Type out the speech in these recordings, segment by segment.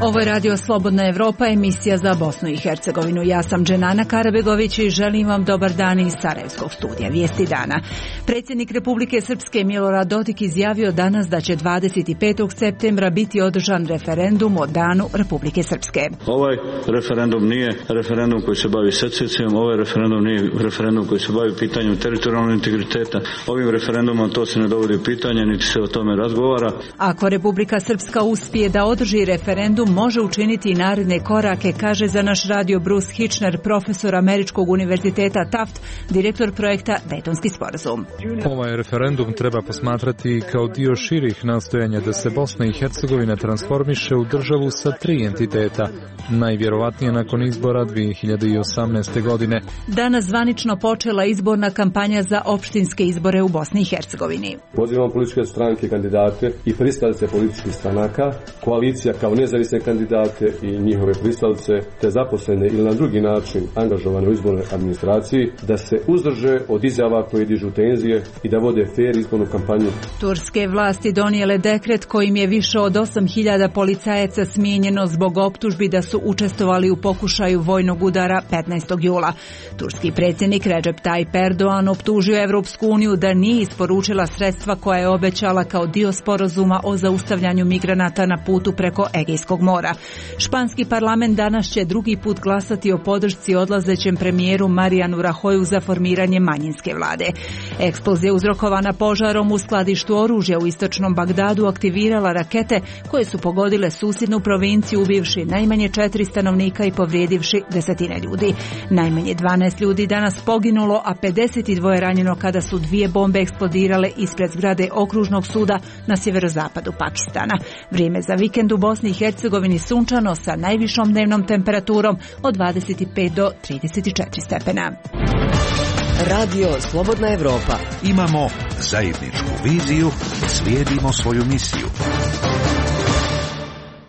Ovo je Radio Slobodna Evropa, emisija za Bosnu i Hercegovinu. Ja sam Dženana Karabegović i želim vam dobar dan iz Sarajevskog studija. Vijesti dana. Predsjednik Republike Srpske Milorad Dodik izjavio danas da će 25. septembra biti održan referendum o Danu Republike Srpske. Ovaj referendum nije referendum koji se bavi secesijom, ovaj referendum nije referendum koji se bavi pitanjem teritorijalnog integriteta. Ovim referendumom to se ne dovodi u pitanje, niti se o tome razgovara. Ako Republika Srpska uspije da održi referendum, može učiniti i naredne korake, kaže za naš radio Bruce Hitchner, profesor Američkog univerziteta Taft, direktor projekta Dejtonski sporazum. Ovaj referendum treba posmatrati kao dio širih nastojanja da se Bosna i Hercegovina transformiše u državu sa 3 entiteta, najvjerovatnije nakon izbora 2018. godine. Danas zvanično počela izborna kampanja za opštinske izbore u Bosni i Hercegovini. Pozivam političke stranke, kandidate i pristalice političkih stranaka, koalicija kao nezavisne kandidate i njihove pristalice, te zaposlene ili na drugi način angažovane u izbornoj administraciji, da se uzdrže od izjava koje dižu tenzije i da vode fer izbornu kampanju. Turske vlasti donijele dekret kojim je više od 8.000 policajaca smijenjeno zbog optužbi da su učestvovali u pokušaju vojnog udara 15. jula. Turski predsjednik Recep Tayyip Erdogan optužio Evropsku uniju da nije isporučila sredstva koja je obećala kao dio sporazuma o zaustavljanju migranata na putu preko Egejskog mora. Španski parlament danas će drugi put glasati o podršci odlazećem premijeru Marianu Rajoyu za formiranje manjinske vlade. Eksplozija uzrokovana požarom u skladištu oružja u istočnom Bagdadu aktivirala rakete koje su pogodile susjednu provinciju, ubivši najmanje 4 stanovnika i povrijedivši desetine ljudi. Najmanje 12 ljudi danas poginulo, a 52 ranjeno kada su 2 bombe eksplodirale ispred zgrade okružnog suda na sjeverozapadu Pakistana. Vrijeme za vikend u Bosni i Hercegovini sunčano sa najvišom dnevnom temperaturom od 25 do 34 stepena. Radio Slobodna Evropa. Imamo zajedničku viziju, slijedimo svoju misiju.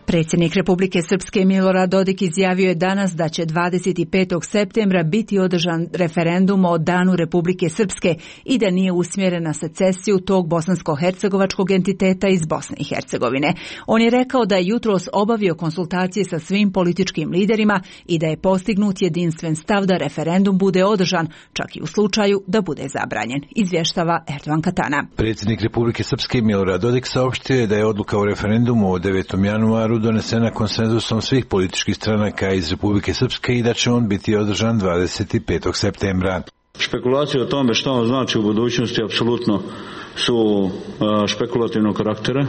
Predsjednik Republike Srpske Milorad Dodik izjavio je danas da će 25. septembra biti održan referendum o Danu Republike Srpske i da nije usmjeren na secesiju tog bosansko-hercegovačkog entiteta iz Bosne i Hercegovine. On je rekao da je jutros obavio konsultacije sa svim političkim liderima i da je postignut jedinstven stav da referendum bude održan, čak i u slučaju da bude zabranjen, izvještava Erdogan Katana. Predsjednik Republike Srpske Milorad Dodik saopštio je da je odluka o referendumu od 9. januaru donesena konsenzusom svih političkih stranaka iz Republike Srpske i da će on biti održan 25. septembra. Špekulacije o tome što on znači u budućnosti apsolutno su špekulativnog karaktera.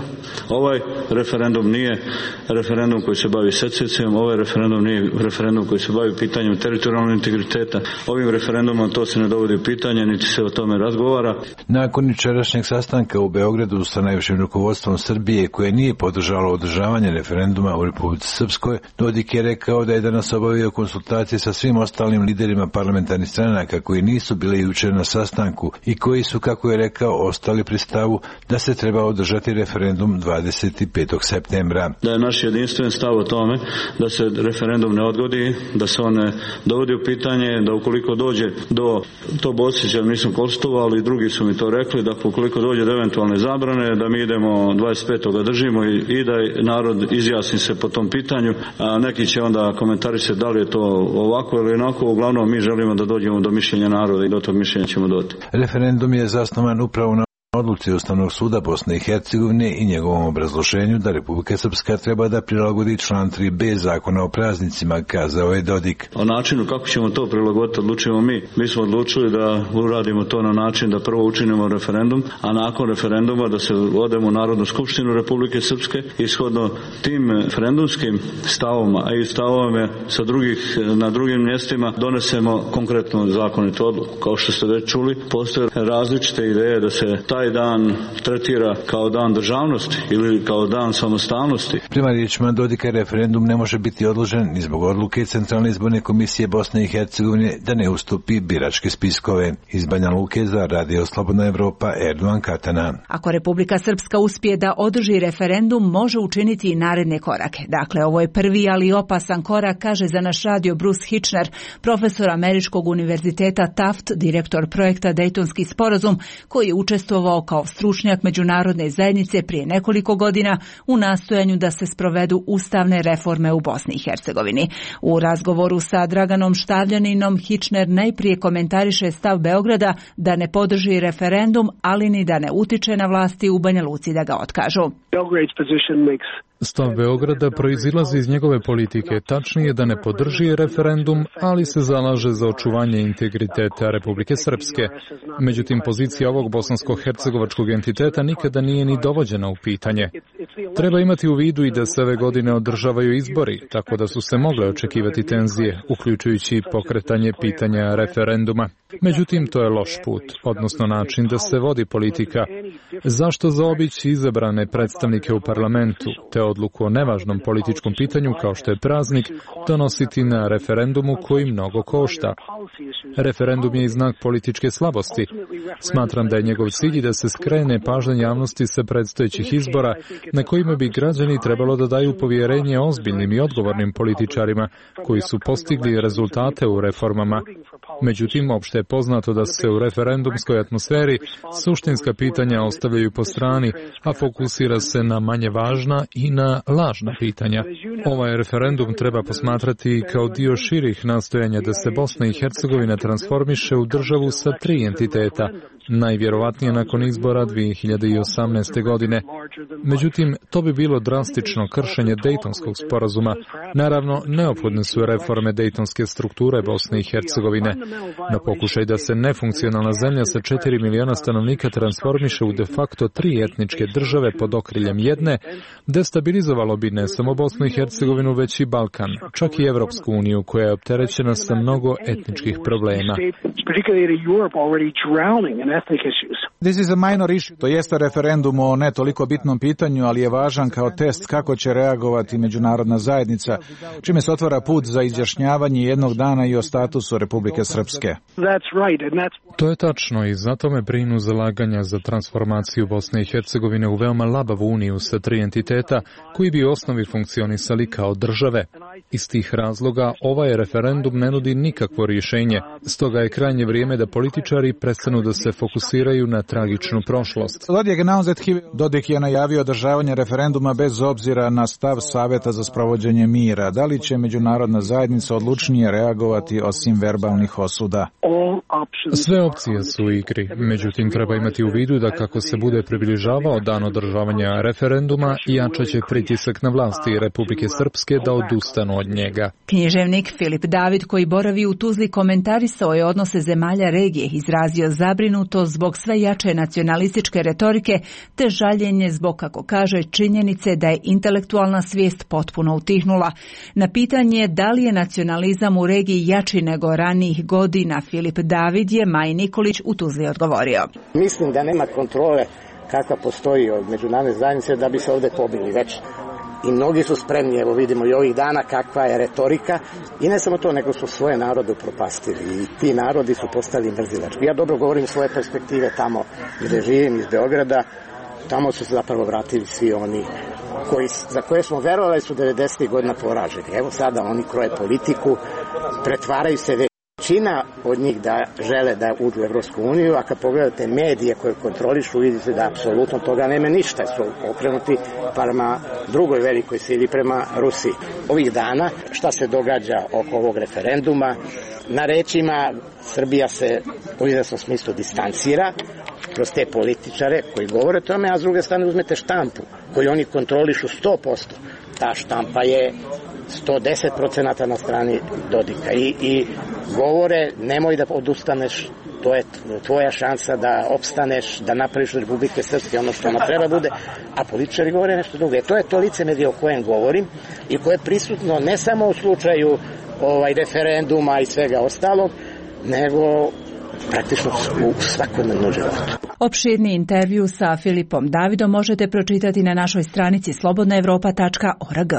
Ovaj referendum nije referendum koji se bavi secesijom, ovaj referendum nije referendum koji se bavi pitanjem teritorijalnog integriteta. Ovim referendumom to se ne dovodi u pitanje, niti se o tome razgovara. Nakon jučerašnjeg sastanka u Beogradu sa najvišim rukovodstvom Srbije, koje nije podržalo održavanje referenduma u Republici Srpskoj, Dodik je rekao da je danas obavio konsultacije sa svim ostalim liderima parlamentarnih stranaka koji nisu bili jučer na sastanku i koji su, kako je rekao, ostali pri stavu da se treba održati referendum 25. septembra. Da je naš jedinstven stav o tome da se referendum ne odgodi, da se on ne dovodi u pitanje, da ukoliko dođe do, to Bosić, jer nisam konsultovao, ali drugi su mi to rekli, da ukoliko dođe do eventualne zabrane, da mi idemo 25. držimo i da narod izjasni se po tom pitanju, a neki će onda komentarisati da li je to ovako ili onako. Uglavnom mi želimo da dođemo do mišljenja naroda i do tog mišljenja ćemo doći. Referendum je zasnovan upravo na odluci Ustavnog suda Bosne i Hercegovine i njegovom obrazloženju da Republika Srpska treba da prilagodi član 3b Zakona o praznicima, kazao je Dodik. O načinu kako ćemo to prilagoditi odlučujemo mi. Mi smo odlučili da uradimo to na način da prvo učinimo referendum, a nakon referenduma da se odemo u Narodnu skupštinu Republike Srpske i shodno tim referendumskim stavovima, a i stavovima sa na drugim mjestima donesemo konkretno zakonitu odluku. Kao što ste već čuli, postoje različite ideje da se taj dan tretira kao dan državnosti ili kao dan samostalnosti. Prema riječima Dodika referendum ne može biti odložen ni zbog odluke Centralne izborne komisije Bosne i Hercegovine da ne ustupi biračke spiskove. Iz Banja Luke za Radio Slobodna Evropa, Erdogan Katana. Ako Republika Srpska uspije da održi referendum, može učiniti i naredne korake. Dakle, ovo je prvi, ali opasan korak, kaže za naš radio Bruce Hitchner, profesor Američkog univerziteta Taft, direktor projekta Dejtonski sporazum, koji je učestvovao kao stručnjak međunarodne zajednice prije nekoliko godina u nastojanju da se sprovedu ustavne reforme u Bosni i Hercegovini. U razgovoru sa Draganom Štavljaninom, Hitchner najprije komentariše stav Beograda da ne podrži referendum, ali ni da ne utiče na vlasti u Banja Luci da ga otkažu. Stav Beograda proizilazi iz njegove politike, tačnije da ne podrži referendum, ali se zalaže za očuvanje integriteta Republike Srpske. Međutim, pozicija ovog bosansko-hercegovačkog entiteta nikada nije ni dovođena u pitanje. Treba imati u vidu i da se ove godine održavaju izbori, tako da su se mogle očekivati tenzije, uključujući pokretanje pitanja referenduma. Međutim, to je loš put, odnosno način da se vodi politika. Zašto zaobići izabrane predstavnike u parlamentu, te odluku o nevažnom političkom pitanju kao što je praznik, donositi na referendumu koji mnogo košta? Referendum je i znak političke slabosti. Smatram da je njegov cilj da se skrene pažnja javnosti sa predstojećih izbora na kojima bi građani trebalo da daju povjerenje ozbiljnim i odgovornim političarima koji su postigli rezultate u reformama. Međutim, opšte je poznato da se u referendumskoj atmosferi suštinska pitanja ostavljaju po strani, a fokusira se na manje važna i na lažna pitanja. Ovaj referendum treba posmatrati kao dio širih nastojanja da se Bosna i Hercegovina transformiše u državu sa 3 entiteta, najvjerovatnije nakon izbora 2018. godine. Međutim, to bi bilo drastično kršenje Dejtonskog sporazuma. Naravno, neophodne su reforme dejtonske strukture Bosne i Hercegovine. Na pokušaj da se nefunkcionalna zemlja sa 4 miliona stanovnika transformiše u de facto 3 etničke države pod okriljem jedne, destabilizovalo bi ne samo Bosnu i Hercegovinu, već i Balkan, čak i Evropsku uniju, koja je opterećena sa mnogo etničkih problema. This is a minor issue. To jeste referendum o ne toliko bitnom pitanju, ali je važan kao test kako će reagovati međunarodna zajednica, čime se otvara put za izjašnjavanje jednog dana i o statusu Republike Srpske. To je tačno i zato me brinu zalaganja za transformaciju Bosne i Hercegovine u veoma labavu uniju sa 3 entiteta koji bi u osnovi funkcionisali kao države. Iz tih razloga ovaj referendum ne nudi nikakvo rješenje, stoga je krajnje vrijeme da političari prestanu da se fokusiraju na tragičnu prošlost. Dodik je najavio održavanje referenduma bez obzira na stav Saveta za sprovođenje mira. Da li će međunarodna zajednica odlučnije reagovati osim verbalnih osuda? Sve opcije su u igri, međutim treba imati u vidu da kako se bude približavao dan održavanja referenduma, jačat će pritisak na vlasti Republike Srpske da odustanu od njega. Književnik Filip David, koji boravi u Tuzli, komentarisao je odnose zemalja regije, izrazio zabrinutost zbog sve jače nacionalističke retorike te žaljenje zbog, kako kaže, činjenice da je intelektualna svijest potpuno utihnula. Na pitanje da li je nacionalizam u regiji jači nego ranijih godina, Filip David je Maji Nikolić u Tuzli odgovorio. Mislim da nema kontrole kakva postoji od međunarodne zajednice da bi se ovdje pobili već. I mnogi su spremni, evo vidimo i ovih dana kakva je retorika, i ne samo to, nego su svoje narode upropastili i ti narodi su postali mrzilački. Ja dobro govorim svoje perspektive tamo gdje živim, iz Beograda, tamo su se zapravo vratili svi oni za koje smo verovali su 90. godina poraženi. Evo sada oni kroje politiku, pretvaraju se većina od njih da žele da uđu u Evropsku uniju, a kad pogledate medije koje kontrolišu, vidite da apsolutno toga nema ništa, su okrenuti prema drugoj velikoj sili, prema Rusiji. Ovih dana šta se događa oko ovog referenduma, na rečima Srbija se u izvesnom smislu distancira kroz te političare koji govore o tome, a s druge strane uzmete štampu koju oni kontrolišu 100%. Ta štampa je 110% na strani Dodika i govore nemoj da odustaneš, to je tvoja šansa da opstaneš, da napraviš Republike Srpske ono što ona treba bude, a političari govore nešto drugo. To je to licemerje o kojem govorim i koje je prisutno ne samo u slučaju referenduma i svega ostalog, nego praktično u svakodnevnom životu. Opširni intervju sa Filipom Davidom možete pročitati na našoj stranici slobodnaevropa.org.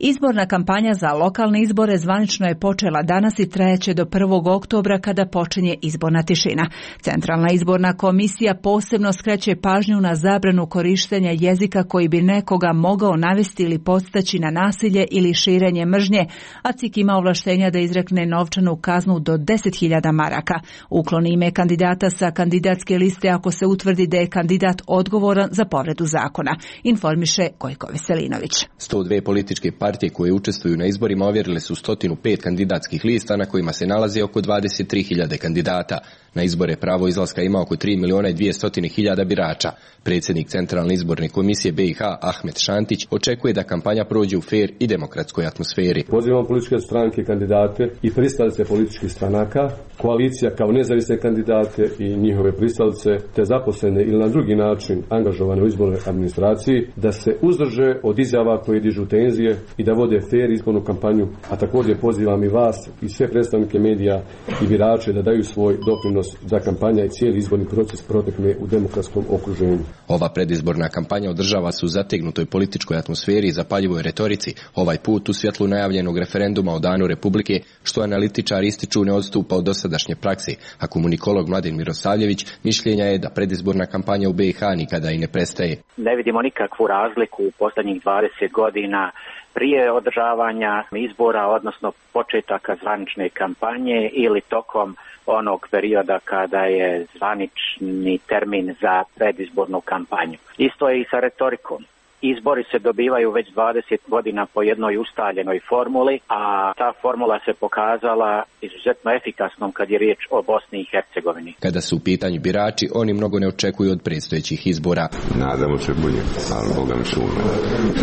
Izborna kampanja za lokalne izbore zvanično je počela danas i trajaće do 1. oktobra kada počinje izborna tišina. Centralna izborna komisija posebno skreće pažnju na zabranu korištenja jezika koji bi nekoga mogao navesti ili podstaći na nasilje ili širenje mržnje, a CIK ima ovlaštenja da izrekne novčanu kaznu do 10.000 maraka. Ukloni ime kandidata sa kandidatske liste ako se utvrdi da je kandidat odgovoran za povredu zakona, informiše Gojko Veselinović. 102 političke partije koje učestvuju na izborima ovjerile su 105 kandidatskih lista na kojima se nalazi oko 23.000 kandidata. Na izbore pravo izlaska ima oko 3.200.000 birača. Predsjednik Centralne izborne komisije BiH Ahmet Šantić očekuje da kampanja prođe u fer i demokratskoj atmosferi. Pozivam političke stranke, kandidate i pristalice političkih stranaka, koalicija kao nezavisne kandidate i njihove pristalice, te zaposlene ili na drugi način angažovane u izbornoj administraciji, da se uzdrže od izjava koje dižu tenzije i da vode fer izbornu kampanju, a također pozivam i vas i sve predstavnike medija i birače da daju svoj doprinos da kampanja i cijeli izborni proces protekne u demokratskom okruženju. Ova predizborna kampanja održava se u zategnutoj političkoj atmosferi i zapaljivoj retorici, ovaj put u svjetlu najavljenog referenduma o Danu Republike, što analitičari ističu ne odstupa od dosadašnje prakse, a komunikolog Mladen Mirosavljević mišljenja je da predizborna kampanja u BiH nikada i ne prestaje. Ne vidimo nikakvu razliku u posljednjih 20 godina prije održavanja izbora, odnosno početaka zvanične kampanje ili tokom onog perioda kada je zvanični termin za predizbornu kampanju. Isto je i sa retorikom. Izbori se dobivaju već 20 godina po jednoj ustaljenoj formuli, a ta formula se pokazala izuzetno efikasnom kad je riječ o Bosni i Hercegovini. Kada su u pitanju birači, oni mnogo ne očekuju od predstojećih izbora. Nadamo se bolje, ali Boga mi šume.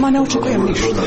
Ma ne očekujem ništa.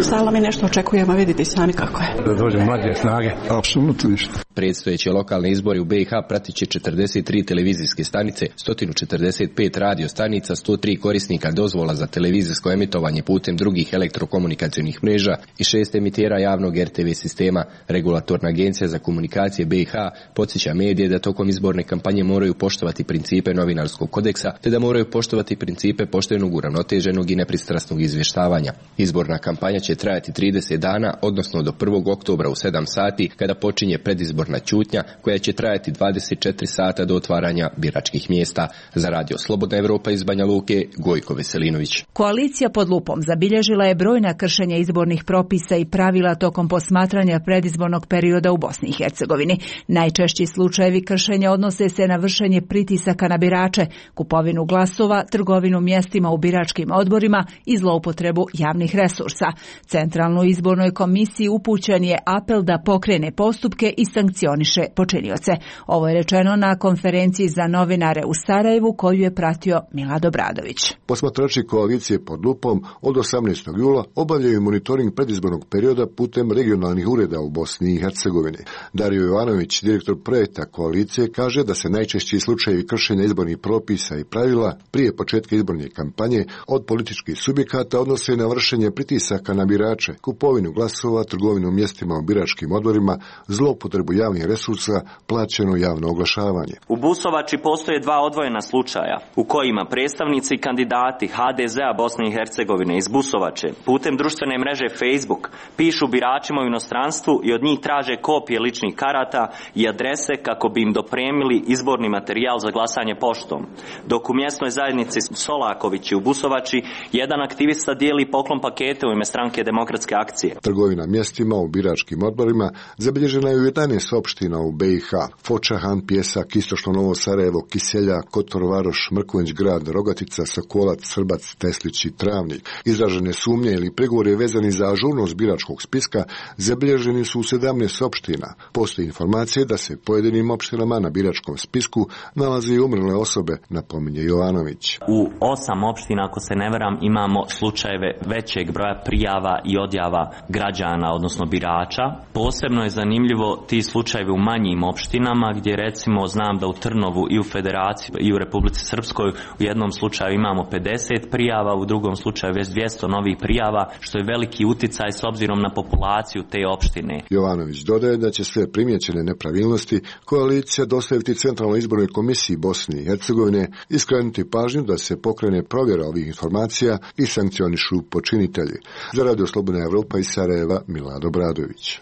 Stalno mi nešto očekujem, a vidite sami kako je. Da dođe mlađe snage. Apsolutno ništa. Predstojeće lokalne izbore u BiH pratit će 43 televizijske stanice, 145 radio stanica, 103 korisnika dozvola za televizijsko emitovanje putem drugih elektrokomunikacionih mreža i 6 emitera javnog RTV sistema. Regulatorna agencija za komunikacije BiH podsjeća medije da tokom izborne kampanje moraju poštovati principe novinarskog kodeksa, te da moraju poštovati principe poštenog, uravnoteženog i nepristrasnog izvještavanja. Izborna kampanja će trajati 30 dana, odnosno do 1. oktobra u 7 sati, kada počinje predizborna ćutnja koja će trajati 24 sata do otvaranja biračkih mjesta. Za Radio Slobodna Evropa iz Banja Luke, Gojko Veselinović. Koalicija pod lupom zabilježila je brojna kršenja izbornih propisa i pravila tokom posmatranja predizbornog perioda u Bosni i Hercegovini. Najčešći slučajevi kršenja odnose se na vršenje pritisaka na birače, kupovinu glasova, trgovinu mjestima u biračkim odborima i zloupotrebu javnih resursa. Centralnoj izbornoj komisiji upućen je apel da pokrene postupke i sankcioniše počinioce. Ovo je rečeno na konferenciji za novinare u Sarajevu koju je pratio Milad Obradović. Posmatrači koalicije pod lupom od 18. jula obavljaju monitoring predizbornog perioda putem regionalnih ureda u Bosni i Hercegovini. Dario Jovanović, direktor projekta koalicije, kaže da se najčešći slučajevi kršenja izbornih propisa i pravila prije početka izborne kampanje od političkih subjekata odnose na vršenje pritisaka na birače, kupovinu glasova, trgovinu mjestima u biračkim odborima, zloupotrebu javnih resursa, plaćeno javno oglašavanje. U Busovači postoje dva odvojena slučaja u kojima predstavnici i kandidati HDZ-a Bosne i Hercegovine iz Busovače putem društvene mreže Facebook pišu biračima u inostranstvu i od njih traže kopije ličnih karata i adrese kako bi im dopremili izborni materijal za glasanje poštom. Dok u mjesnoj zajednici Solakovići u Busovači jedan aktivista dijeli poklon pakete u ime Stranke demokratske akcije. Trgovina mjestima u biračkim odborima zabilježena je u 11 opština u BiH: Foča, Han, Pjesak, Istočno Novo Sarajevo, Kiselja, Kotor, Varoš, Mrkonjić Grad, Rogatica, Sokolac, Srbac, Teslić i Travnik. Izražene sumnje ili prigovori vezani za ažurnost biračkog spiska zabilježeni su u 17 opština. Postoji informacije da se pojedinim opštinama na biračkom spisku nalaze i umrle osobe, napominje Jovanović. U 8 opština, ako se ne varam, imamo slučajeve većeg broja prijava i odjava građana, odnosno birača. Posebno je zanimljivo ti slučajevi slučajevi u manjim opštinama gdje recimo znam da u Trnovu i u Federaciji i u Republici Srpskoj u jednom slučaju imamo 50 prijava, u drugom slučaju već 200 novih prijava, što je veliki uticaj s obzirom na populaciju te opštine. Jovanović dodaje da će sve primjećene nepravilnosti koalicija dostaviti Centralnoj izbornoj komisiji Bosne i Hercegovine i skrenuti pažnju da se pokrene provjera ovih informacija i sankcionišu počinitelji. Za Radio Slobodna Evropa iz Sarajeva, Milad Obradović.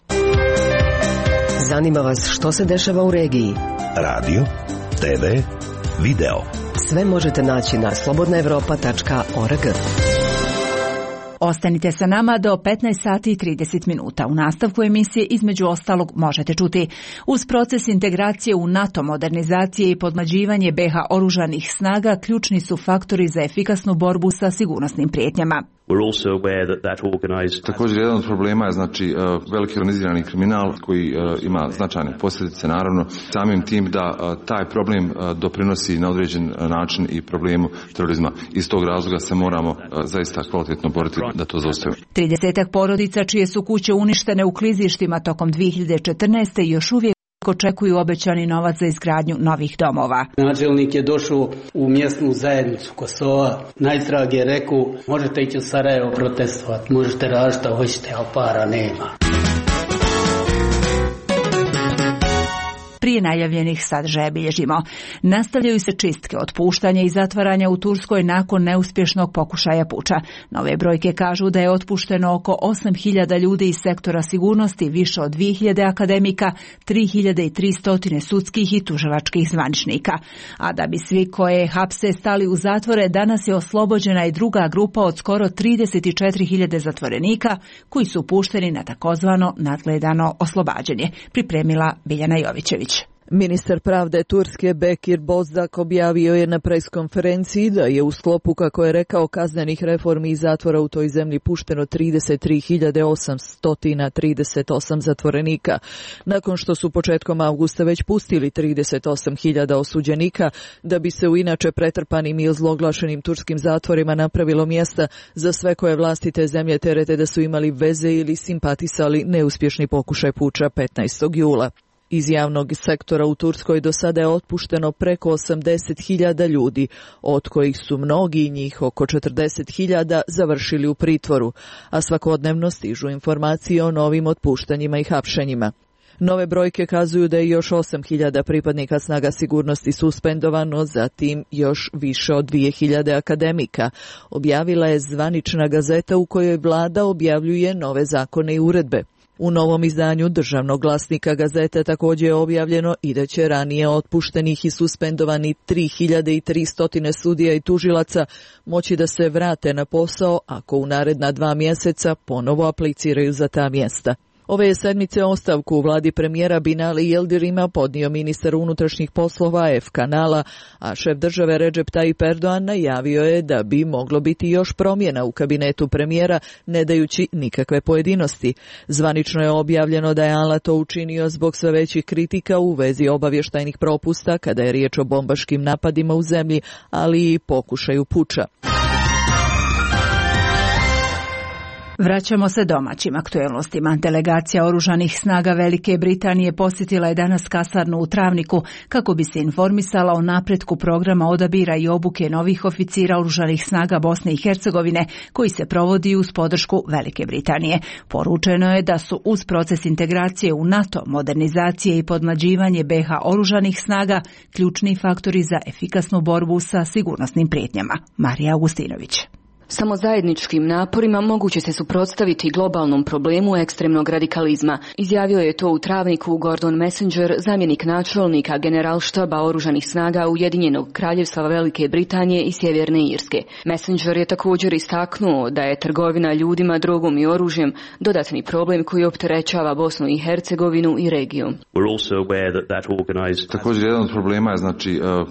Zanima vas što se dešava u regiji? Radio, TV, video. Sve možete naći na slobodnaevropa.org. Ostanite sa nama do 15 sati i 30 minuta. U nastavku emisije između ostalog možete čuti: uz proces integracije u NATO, modernizacije i podmlađivanje BiH oružanih snaga ključni su faktori za efikasnu borbu sa sigurnosnim prijetnjama. Također jedan od problema je veliki organizirani kriminal koji ima značajne posljedice, naravno samim tim da taj problem doprinosi na određen način i problemu terorizma. Iz tog razloga se moramo zaista kvalitetno boriti da to zaustavimo. 30 porodica čije su kuće uništene u klizištima tokom 2014. još uvijek očekuju obećani novac za izgradnju novih domova. Načelnik je došao u mjesnu zajednicu Kosova. Najtrag je rekao, možete ići u Sarajevo protestovati, možete raditi šta hoćete, a para nema. Prije najavljenih sadržaja bilježimo: nastavljaju se čistke, otpuštanja i zatvaranja u Turskoj nakon neuspješnog pokušaja puča. Nove brojke kažu da je otpušteno oko 8.000 ljudi iz sektora sigurnosti, više od 2.000 akademika, 3.300 sudskih i tužilačkih zvaničnika. A da bi svi koje hapse stali u zatvore, danas je oslobođena i druga grupa od skoro 34.000 zatvorenika koji su pušteni na takozvano nadgledano oslobađanje. Pripremila Biljana Jovićević. Ministar pravde Turske Bekir Bozdak objavio je na preskonferenciji da je u sklopu, kako je rekao, kaznenih reformi i zatvora u toj zemlji pušteno 33.838 zatvorenika. Nakon što su početkom avgusta već pustili 38.000 osuđenika, da bi se u inače pretrpanim i ozloglašenim turskim zatvorima napravilo mjesta za sve koje vlasti te zemlje terete da su imali veze ili simpatisali neuspješni pokušaj puča 15. jula. Iz javnog sektora u Turskoj do sada je otpušteno preko 80.000 ljudi, od kojih su mnogi njih, oko 40.000, završili u pritvoru, a svakodnevno stižu informacije o novim otpuštanjima i hapšenjima. Nove brojke kazuju da je još 8.000 pripadnika snaga sigurnosti suspendovano, zatim još više od 2.000 akademika. Objavila je zvanična gazeta u kojoj vlada objavljuje nove zakone i uredbe. U novom izdanju Državnog glasnika gazete također je objavljeno i da će ranije otpuštenih i suspendovani 3.300 sudija i tužilaca moći da se vrate na posao ako u naredna 2 mjeseca ponovo apliciraju za ta mjesta. Ove je sedmice ostavku u vladi premijera Binali Yildirima podnio ministar unutrašnjih poslova F. Kanala, a šef države Recep Tayyip Erdogan najavio je da bi moglo biti još promjena u kabinetu premijera, ne dajući nikakve pojedinosti. Zvanično je objavljeno da je Ala to učinio zbog sve većih kritika u vezi obavještajnih propusta kada je riječ o bombaškim napadima u zemlji, ali i pokušaju puča. Vraćamo se domaćim aktuelnostima. Delegacija oružanih snaga Velike Britanije posjetila je danas kasarnu u Travniku kako bi se informisala o napretku programa odabira i obuke novih oficira oružanih snaga Bosne i Hercegovine koji se provodi uz podršku Velike Britanije. Poručeno je da su uz proces integracije u NATO, modernizacije i podmlađivanje BiH oružanih snaga ključni faktori za efikasnu borbu sa sigurnosnim prijetnjama. Marija Augustinović. Samo zajedničkim naporima moguće se suprotstaviti globalnom problemu ekstremnog radikalizma. Izjavio je to u Travniku Gordon Messenger, zamjenik načelnika generalštaba oružanih snaga Ujedinjenog kraljevstva Velike Britanije i Sjeverne Irske. Messenger je također istaknuo da je trgovina ljudima, drogom i oružjem dodatni problem koji opterećava Bosnu i Hercegovinu i regiju. Također jedan od problema je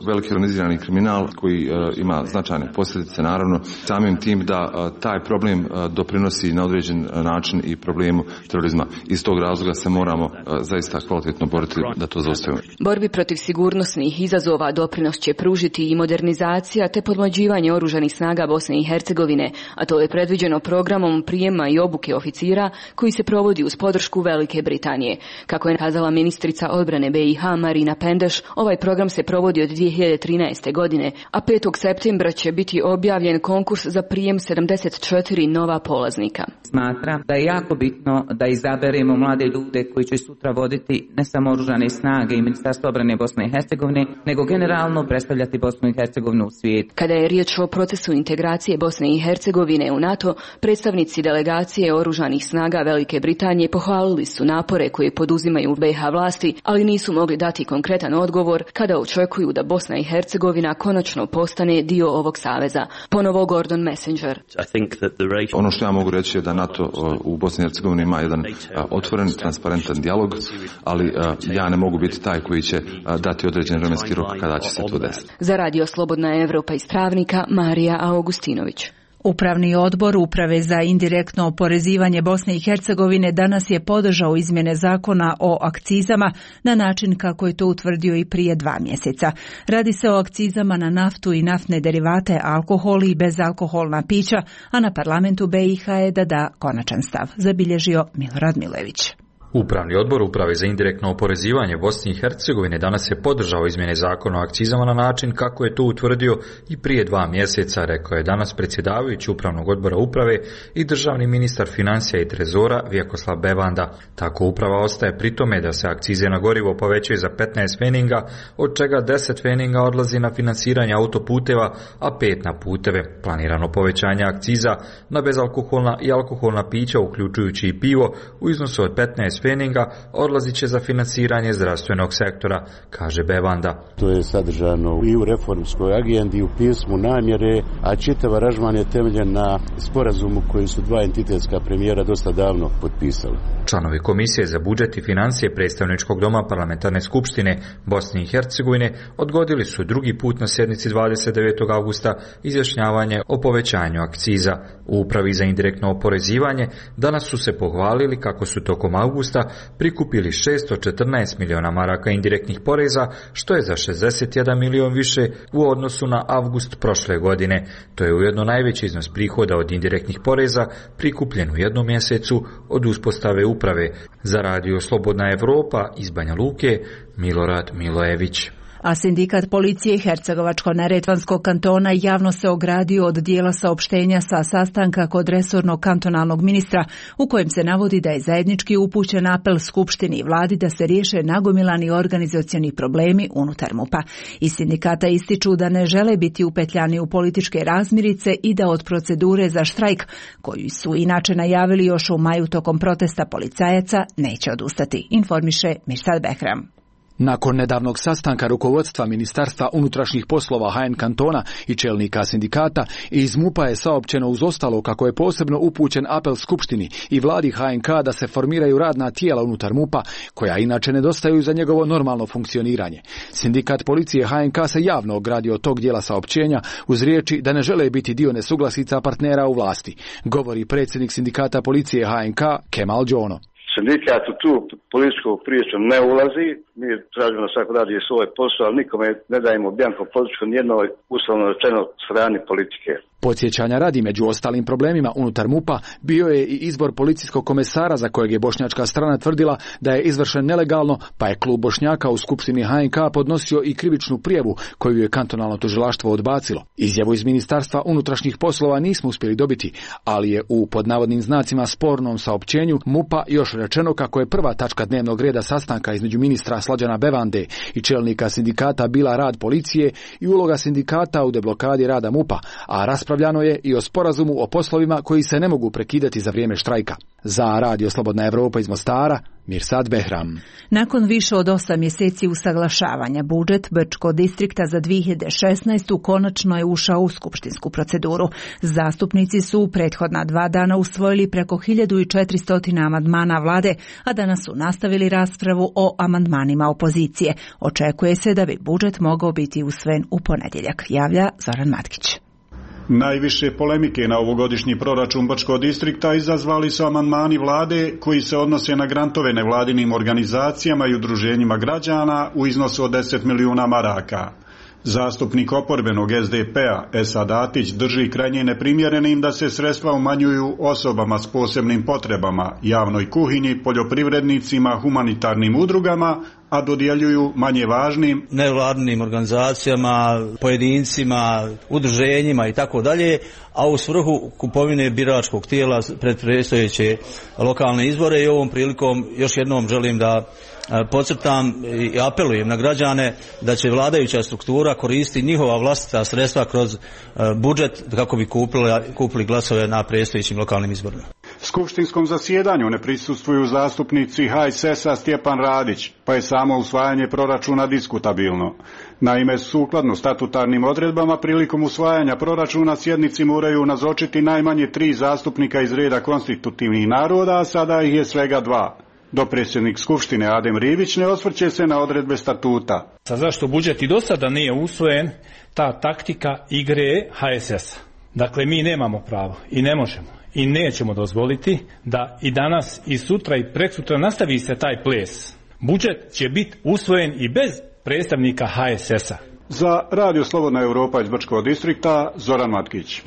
veliki organizirani kriminal koji ima značajne posljedice, naravno samim tim da taj problem doprinosi na određen način i problemu terorizma. Iz tog razloga se moramo zaista kvalitetno boriti da to zaustavimo. Borbi protiv sigurnosnih izazova doprinos će pružiti i modernizacija te podmlađivanje oružanih snaga Bosne i Hercegovine, a to je predviđeno programom prijema i obuke oficira koji se provodi uz podršku Velike Britanije. Kako je kazala ministrica odbrane BiH Marina Pendeš, ovaj program se provodi od 2013. godine, a 5. septembra će biti objavljen konkurs za prijem 74 nova polaznika. Smatram da je jako bitno da izaberemo mlade ljude koji će sutra voditi ne samo oružane snage i Ministarstvo obrane Bosne i Hercegovine, nego generalno predstavljati Bosnu i Hercegovinu u svijetu. Kada je riječ o procesu integracije Bosne i Hercegovine u NATO, predstavnici delegacije oružanih snaga Velike Britanije pohvalili su napore koje poduzimaju BiH vlasti, ali nisu mogli dati konkretan odgovor kada očekuju da Bosna i Hercegovina konačno postane dio ovog saveza. Ponovo Gordon Messenger. Ono što ja mogu reći je da NATO u Bosni i Hercegovini ima jedan otvoren, transparentan dijalog, ali ja ne mogu biti taj koji će dati određen vremenski rok kada će se to desiti. Za Radio Slobodna Evropa iz Travnika, Marija Augustinović. Upravni odbor Uprave za indirektno oporezivanje Bosne i Hercegovine danas je podržao izmjene zakona o akcizama na način kako je to utvrdio i prije 2 mjeseca. Radi se o akcizama na naftu i naftne derivate, alkohol i bezalkoholna pića, a na parlamentu BiH je da da konačan stav, zabilježio Milorad Milević. Upravni odbor Uprave za indirektno oporezivanje Bosne i Hercegovine danas je podržao izmjene zakona o akcizama na način kako je to utvrdio i prije 2 mjeseca, rekao je danas predsjedavajući Upravnog odbora Uprave i državni ministar financija i trezora Vjekoslav Bevanda. Tako Uprava ostaje pri tome da se akcize na gorivo povećaju za 15 pfeninga, od čega 10 pfeninga odlazi na finansiranje autoputeva, a 5 na puteve. Planirano povećanje akciza na bezalkoholna i alkoholna pića, uključujući i pivo, u iznosu od 15 pfeninga odlazit će za finansiranje zdravstvenog sektora, kaže Bevanda. To je sadržano i u reformskoj agendi, u pismu namjere, a čitav aranžman je temeljen na sporazumu koji su 2 entitetska premijera dosta davno potpisali. Članovi Komisije za budžet i financije Predstavničkog doma Parlamentarne skupštine Bosne i Hercegovine odgodili su drugi put na sjednici 29. augusta izjašnjavanje o povećanju akciza. U Upravi za indirektno oporezivanje danas su se pohvalili kako su tokom augusta prikupili 614 miliona maraka indirektnih poreza, što je za 61 milion više u odnosu na avgust prošle godine. To je ujedno najveći iznos prihoda od indirektnih poreza prikupljen u jednom mjesecu od uspostave uprave. Za Radio Slobodna Evropa iz Banja Luke, Milorad Milojević. A sindikat policije Hercegovačko-neretvanskog kantona javno se ogradio od dijela saopštenja sa sastanka kod resornog kantonalnog ministra u kojem se navodi da je zajednički upućen apel Skupštini i vladi da se riješe nagomilani organizacioni problemi unutar MUP-a. Iz sindikata ističu da ne žele biti upetljani u političke razmirice i da od procedure za štrajk, koju su inače najavili još u maju tokom protesta policajaca, neće odustati, informiše Mirsad Behram. Nakon nedavnog sastanka rukovodstva Ministarstva unutrašnjih poslova HN kantona i čelnika sindikata, iz MUP-a je saopćeno uz ostalo kako je posebno upućen apel Skupštini i vladi HNK da se formiraju radna tijela unutar MUP-a, koja inače nedostaju za njegovo normalno funkcioniranje. Sindikat policije HNK se javno ogradio od tog dijela saopćenja uz riječi da ne žele biti dio nesuglasica partnera u vlasti, govori predsjednik sindikata policije HNK Kemal Đono. Sindikat u tu političku priču ne ulazi, mi tražimo da svako radi svoj posao, ali nikome ne dajemo bjanko podršku nijednoj, uslovno rečeno, strani politike. Podsjećanja radi, među ostalim problemima unutar MUP-a bio je i izbor policijskog komesara za kojeg je bošnjačka strana tvrdila da je izvršen nelegalno, pa je klub Bošnjaka u Skupštini HNK podnosio i krivičnu prijavu koju je kantonalno tužilaštvo odbacilo. Izjavu iz Ministarstva unutrašnjih poslova nismo uspjeli dobiti, ali je u pod navodnim znacima spornom saopćenju MUP-a još rečeno kako je prva tačka dnevnog reda sastanka između ministra Slađana Bevande i čelnika sindikata bila rad policije i uloga sindikata u deblokadi rada MUP-a, a raspravljano je i o sporazumu o poslovima koji se ne mogu prekidati za vrijeme štrajka. Za Radio Slobodna Evropa iz Mostara, Mirsad Behram. Nakon više od 8 mjeseci usaglašavanja, budžet Brčkog distrikta za 2016. konačno je ušao u skupštinsku proceduru. Zastupnici su u prethodna 2 dana usvojili preko 1400 amandmana vlade, a danas su nastavili raspravu o amandmanima opozicije. Očekuje se da bi budžet mogao biti usvojen u ponedjeljak, javlja Zoran Matkić. Najviše polemike na ovogodišnji proračun Brčkog distrikta izazvali su amandmani vlade koji se odnose na grantove nevladinim organizacijama i udruženjima građana u iznosu od 10 milijuna maraka. Zastupnik oporbenog SDP-a Esad Atić drži krajnje neprimjerenim da se sredstva umanjuju osobama s posebnim potrebama, javnoj kuhinji, poljoprivrednicima, humanitarnim udrugama, a dodjeljuju manje važnim nevladinim organizacijama, pojedincima, udruženjima i tako dalje, a u svrhu kupovine biračkog tijela pred predstojeće lokalne izbore. I ovom prilikom još jednom želim da podcrtam i apelujem na građane da će vladajuća struktura koristiti njihova vlastita sredstva kroz budžet kako bi kupili glasove na predstojećim lokalnim izborima. Skupštinskom zasjedanju ne prisustvuju zastupnici HSS-a Stjepan Radić, pa je samo usvajanje proračuna diskutabilno. Naime, sukladno statutarnim odredbama, prilikom usvajanja proračuna sjednici moraju nazočiti najmanje 3 zastupnika iz reda konstitutivnih naroda, a sada ih je svega 2. Dopredsjednik Skupštine Adem Ribić ne osvrće se na odredbe statuta. Zašto budžet i do sada nije usvojen, ta taktika igre HSS-a. Dakle, mi nemamo pravo i ne možemo i nećemo dozvoliti da i danas i sutra i preksutra nastavi se taj ples. Budžet će biti usvojen i bez predstavnika HSS-a. Za Radio Slobodna Europa iz Brčkog distrikta, Zoran Matkić.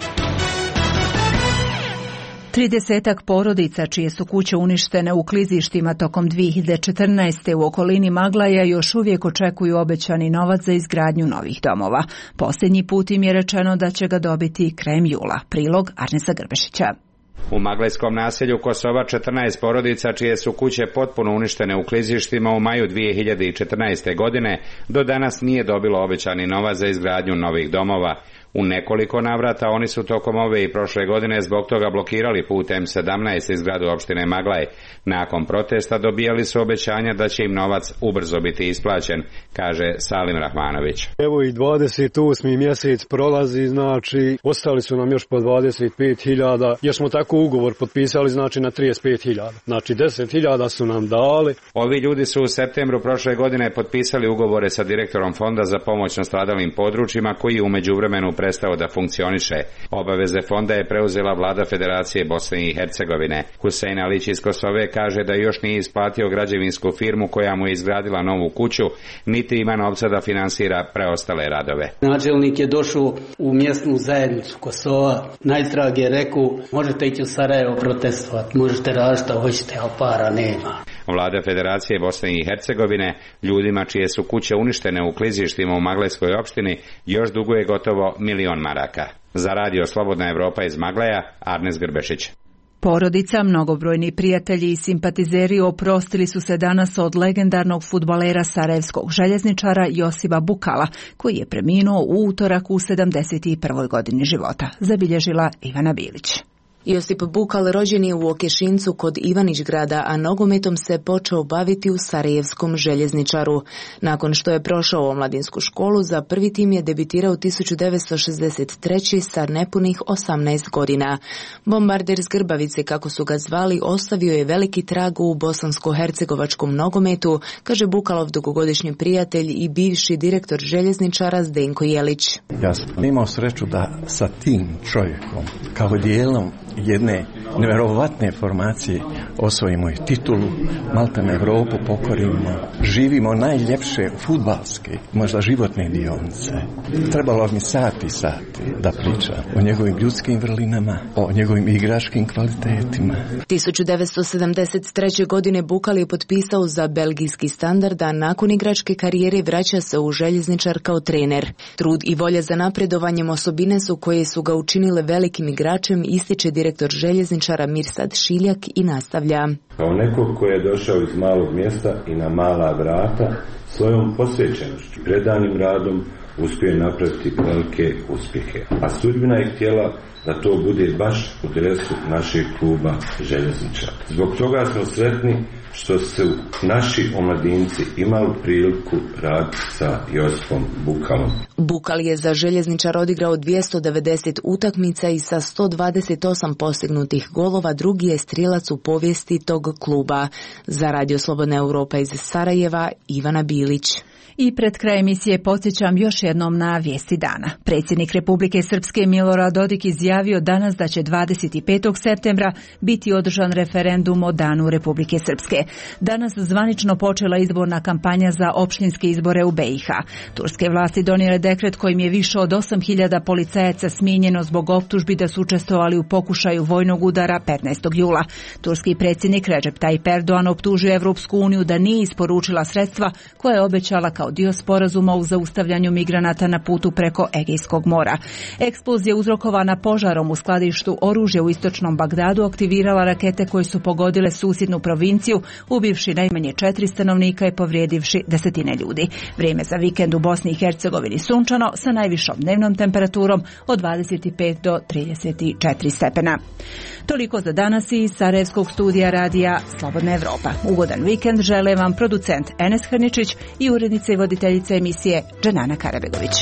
30-ak porodica čije su kuće uništene u klizištima tokom 2014. u okolini Maglaja još uvijek očekuju obećani novac za izgradnju novih domova. Posljednji put im je rečeno da će ga dobiti krajem jula. Prilog Arnesa Grbešića. U maglajskom naselju Kosova 14 porodica čije su kuće potpuno uništene u klizištima u maju 2014. godine do danas nije dobilo obećani novac za izgradnju novih domova. U nekoliko navrata oni su tokom ove i prošle godine zbog toga blokirali put M17 iz zgradu opštine Maglaj. Nakon protesta dobijali su obećanja da će im novac ubrzo biti isplaćen, kaže Salim Rahmanović. Evo i 28. mjesec prolazi, znači ostali su nam još po 25.000, jer smo tako ugovor potpisali, znači na 35.000. Znači 10.000 su nam dali. Ovi ljudi su u septembru prošle godine potpisali ugovore sa direktorom Fonda za pomoć nastradalim područjima koji je u međuvremenu prestao da funkcioniše. Obaveze fonda je preuzela vlada Federacije Bosne i Hercegovine. Husein Alić iz Kosove kaže da još nije isplatio građevinsku firmu koja mu je izgradila novu kuću, niti ima novca da finansira preostale radove. Načelnik je došao u mjesnu zajednicu Kosova, najtrag je rekao možete ići u Sarajevo protestovati, možete raditi što hoćete, ali para nema. Vlada Federacije Bosne i Hercegovine ljudima čije su kuće uništene u klizištima u Maglajskoj opštini još duguje gotovo 1.000.000 maraka. Za Radio Slobodna Europa iz Maglaja, Arnes Grbešić. Porodica, mnogobrojni prijatelji i simpatizeri oprostili su se danas od legendarnog fudbalera sarajevskog željezničara Josipa Bukala, koji je preminuo u utorak u 71. godini života, zabilježila Ivana Bilić. Josip Bukal rođen je u Okešincu kod Ivanić grada, a nogometom se počeo baviti u sarajevskom željezničaru. Nakon što je prošao omladinsku školu, za prvi tim je debitirao 1963. sa nepunih 18 godina. Bombarder s Grbavice, kako su ga zvali, ostavio je veliki trag u bosansko-hercegovačkom nogometu, kaže Bukalov dugogodišnji prijatelj i bivši direktor željezničara Zdenko Jelić. Ja sam imao sreću da sa tim čovjekom, kao dijelom jedne nevjerovatne formacije, osvojimo i titulu, maltene Evropu pokorimo, živimo najljepše fudbalske, možda životne dionice. Trebalo mi sati da pričam o njegovim ljudskim vrlinama, o njegovim igračkim kvalitetima. 1973. godine Bukal je potpisao za belgijski Standard, a nakon igračke karijere vraća se u željezničar kao trener. Trud i volja za napredovanjem osobine su koje su ga učinile velikim igračem, ističe direktor željezničara Mirsad Šiljak i nastavlja. Kao neko koji je došao iz malog mjesta i na mala vrata, svojom posvećenošću, predanim radom uspio napraviti velike uspjehe. A sudbina je htjela da to bude baš u dresu našeg kluba željezničara. Zbog toga smo sretni što su naši omladinci imali priliku raditi sa Josipom Bukalom. Bukal je za željezničar odigrao 290 utakmica i sa 128 postignutih golova drugi je strijelac u povijesti tog kluba. Za Radio Slobodna Europa iz Sarajeva, Ivana Bilić. I pred kraj emisije podsjećam još jednom na vijesti dana. Predsjednik Republike Srpske Milorad Dodik izjavio danas da će 25. septembra biti održan referendum o Danu Republike Srpske. Danas zvanično počela izborna kampanja za opštinske izbore u BiH. Turske vlasti donijele dekret kojim je više od 8.000 policajaca smijenjeno zbog optužbi da su učestvovali u pokušaju vojnog udara 15. jula. Turski predsjednik Recep Tayyip Erdogan optužio Evropsku uniju da nije isporučila sredstva koje je obećala kao dio sporazuma u zaustavljanju migranata na putu preko Egejskog mora. Eksplozija uzrokovana požarom u skladištu oružja u istočnom Bagdadu aktivirala rakete koje su pogodile susjednu provinciju, ubivši najmanje 4 stanovnika i povrijedivši desetine ljudi. Vrijeme za vikend u Bosni i Hercegovini sunčano sa najvišom dnevnom temperaturom od 25 do 34 stepena. Toliko za danas iz Sarajevskog studija radija Slobodna Evropa. Ugodan vikend žele vam producent Enes Hrničić i urednica i voditeljica emisije Dženana Karabegović.